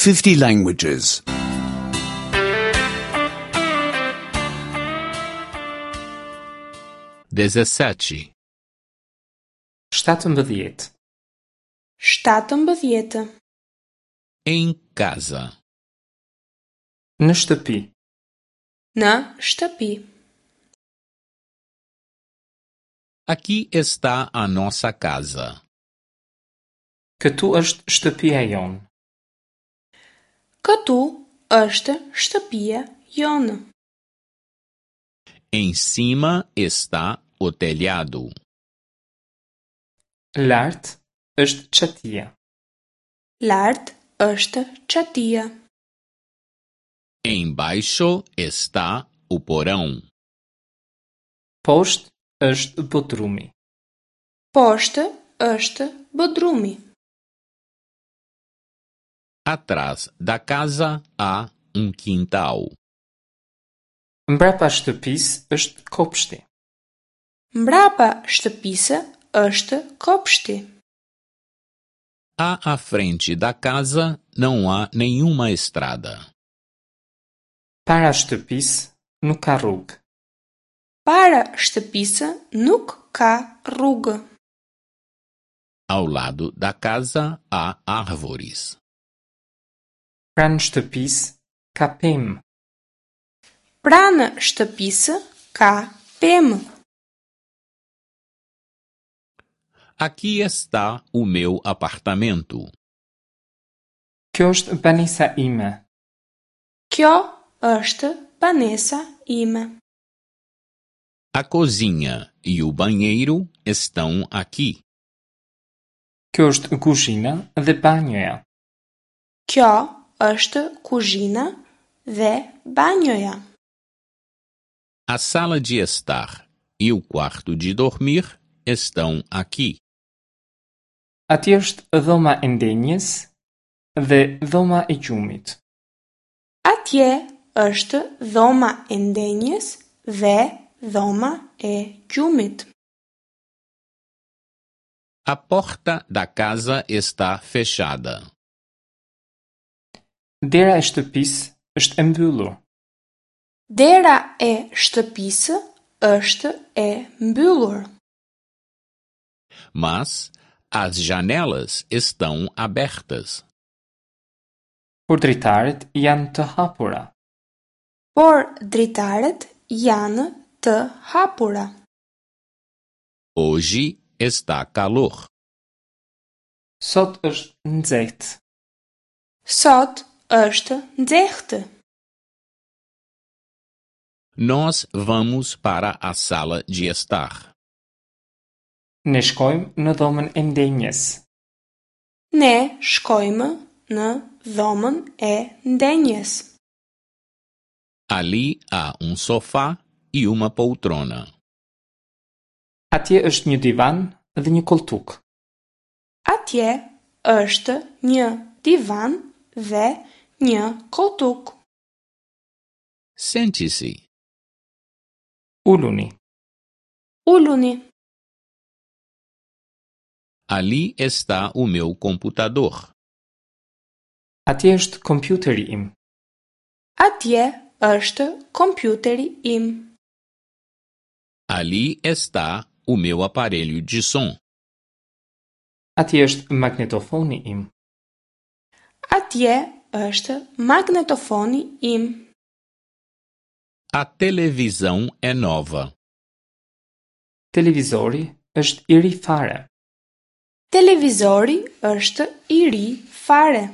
50 languages. 17, 17. 17. em casa, Në shtëpi. Në shtëpi. Aqui está a nossa casa. Këtu është shtëpia jonë. Këtu është shtëpia jonë. Em cima está o telhado. Lart është çatia. Lart është çatia. Embaixo está o porão. Poshtë është bodrumi. Poshtë është bodrumi. Atrás da casa há um quintal. Mbrapa shtëpisë është kopshti. Mbrapa shtëpisë është kopshti. À à frente da casa não há nenhuma estrada. Para shtëpisë nuk ka rrugë. Para shtëpisë nuk ka rrugë. Ao lado da casa há árvores. Pranë shtëpisë ka pemë. Pranë shtëpisë ka pemë. Aqui está o meu apartamento. Kjo është banesa ime. Kjo është banesa ime. A cozinha e o banheiro estão aqui. Kjo është kuzhina dhe banjoja. Kjo është kuzhina dhe banjoja. A sala de estar e o quarto de dormir estão aqui. Atje është dhoma e ndenjes dhe dhoma e gjumit. Atje është dhoma e ndenjes dhe dhoma e gjumit. A porta da casa está fechada. Dera e shtëpisë është e mbyllur. Dera e shtëpisë është e mbyllur. Mas as janelas estão abertas. Por dritaret janë të hapura. Por dritaret janë të hapura. Hoje está calor. Sot është nxehtë. Sot është nxehtë. Nós vamos para a sala de estar. Ne shkojmë në dhomën e ndenjes. Ne shkojmë në dhomën e ndenjes. Ali há um sofá e uma poltrona. Atje është një divan dhe një koltuk. Atje është një divan dhe një koltuk. Sente-se. Uluni. Uluni. Ali está o meu computador. Atje është kompjuteri im. Atje është kompjuteri im. Ali está o meu aparelho de som. Atje është magnetofoni im. Atje është magnetofoni im. A televisão é nova. Televizori është i ri fare. Televizori është i ri fare.